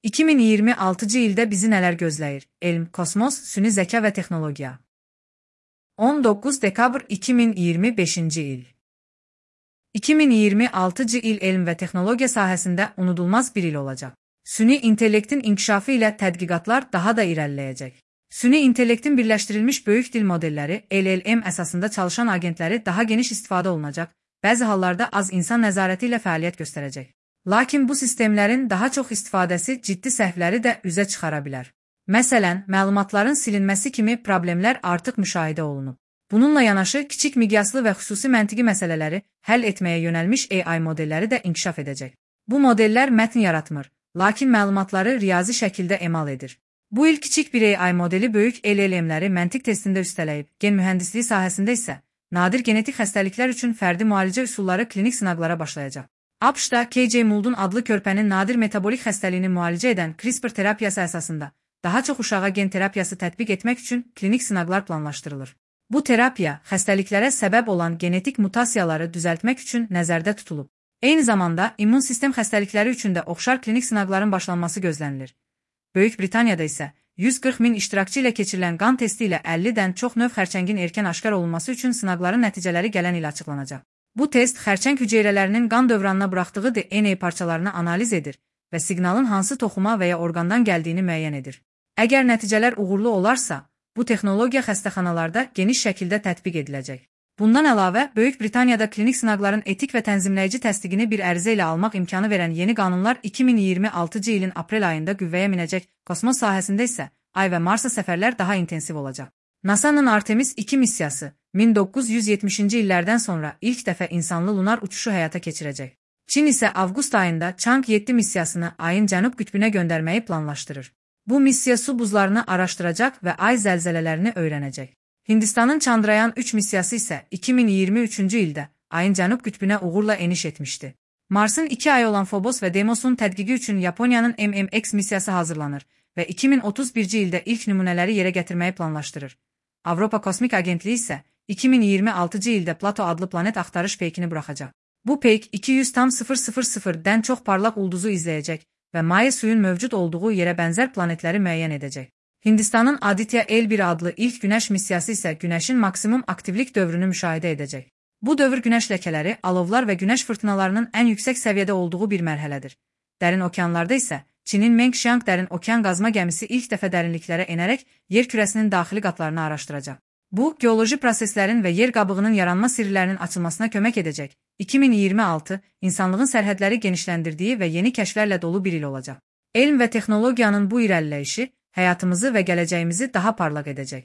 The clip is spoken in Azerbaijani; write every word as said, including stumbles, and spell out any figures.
iki min iyirmi altıncı ildə bizi nələr gözləyir? Elm, kosmos, süni zəka və texnologiya. on doqquz dekabr iki min iyirmi beşinci il. iki min iyirmi altıncı il elm və texnologiya sahəsində unudulmaz bir il olacaq. Süni intellektin inkişafı ilə tədqiqatlar daha da irəliləyəcək. Süni intellektin birləşdirilmiş böyük dil modelləri L L M əsasında çalışan agentləri daha geniş istifadə olunacaq, bəzi hallarda az insan nəzarəti ilə fəaliyyət göstərəcək. Lakin bu sistemlərin daha çox istifadəsi ciddi səhvləri də üzə çıxara bilər. Məsələn, məlumatların silinməsi kimi problemlər artıq müşahidə olunub. Bununla yanaşı, kiçik miqyaslı və xüsusi məntiqi məsələləri həll etməyə yönəlmiş A I modelləri də inkişaf edəcək. Bu modellər mətn yaratmır, lakin məlumatları riyazi şəkildə emal edir. Bu il kiçik bir A I modeli böyük L L M-ləri məntiq testində üstələyib, gen mühəndisliyi sahəsində isə nadir genetik xəstəliklər üçün fərdi müalicə üsulları klinik sınaqlara başlayacaq. ABŞ-da K J Mould'un adlı körpənin nadir metabolik xəstəliyini müalicə edən CRISPR terapiyası əsasında daha çox uşağa gen terapiyası tətbiq etmək üçün klinik sınaqlar planlaşdırılır. Bu terapiya xəstəliklərə səbəb olan genetik mutasiyaları düzəltmək üçün nəzərdə tutulub. Eyni zamanda immun sistem xəstəlikləri üçün də oxşar klinik sınaqların başlanması gözlənilir. Böyük Britaniyada isə yüz qırx min iştirakçı ilə keçirilən qan testi ilə əllidən çox növ xərçəngin erkən aşkar olunması üçün sınaqların nəticələri gələn il açıqlanacaq. Bu test xərçəng hüceyrələrinin qan dövranına buraxdığı D N A parçalarını analiz edir və siqnalın hansı toxuma və ya orqandan gəldiyini müəyyən edir. Əgər nəticələr uğurlu olarsa, bu texnologiya xəstəxanalarda geniş şəkildə tətbiq ediləcək. Bundan əlavə, Böyük Britaniyada klinik sınaqların etik və tənzimləyici təsdiqini bir ərizə ilə almaq imkanı verən yeni qanunlar iki min iyirmi altıncı ilin aprel ayında qüvvəyə minəcək. Kosmos sahəsində isə Ay və Marsa səfərlər daha intensiv olacaq. NASA'nın Artemis iki missiyası min doqquz yüz yetmişinci illərdən sonra ilk dəfə insanlı lunar uçuşu həyata keçirəcək. Çin isə avqust ayında Chang yeddi missiyasını Ayın cənub qütbünə göndərməyi planlaşdırır. Bu missiya su buzlarını araşdıracaq və ay zəlzələlərini öyrənəcək. Hindistanın Chandrayaan üç missiyası isə iki min iyirmi üçüncü ildə Ayın cənub qütbünə uğurla eniş etmişdi. Marsın iki ayı olan Phobos və Deimos'un tədqiqi üçün Yaponiyanın M M X missiyası hazırlanır və iki min otuz birinci ildə ilk nümunələri yerə gətirməyi planlaşdırır. Avropa Kosmik Agentliyi isə iki min iyirmi altıncı ildə Plato adlı planet axtarış peykini buraxacaq. Bu peyk iki yüz tam sıfır sıfır sıfırdən çox parlaq ulduzu izləyəcək və maye suyun mövcud olduğu yerə bənzər planetləri müəyyən edəcək. Hindistanın Aditya L bir adlı ilk günəş missiyası isə günəşin maksimum aktivlik dövrünü müşahidə edəcək. Bu dövr günəş ləkələri, alovlar və günəş fırtınalarının ən yüksək səviyyədə olduğu bir mərhələdir. Dərin okeanlarda isə Çinin Mengxiang dərin okean qazma gəmisi ilk dəfə dərinliklərə enərək yer kürəsinin daxili qatlarını araşdıracaq. Bu, geoloji proseslərin və yer qabığının yaranma sirlərinin açılmasına kömək edəcək. iki min iyirmi altı insanlığın sərhədləri genişləndirdiyi və yeni kəşflərlə dolu bir il olacaq. Elm və texnologiyanın bu irəliləyişi həyatımızı və gələcəyimizi daha parlaq edəcək.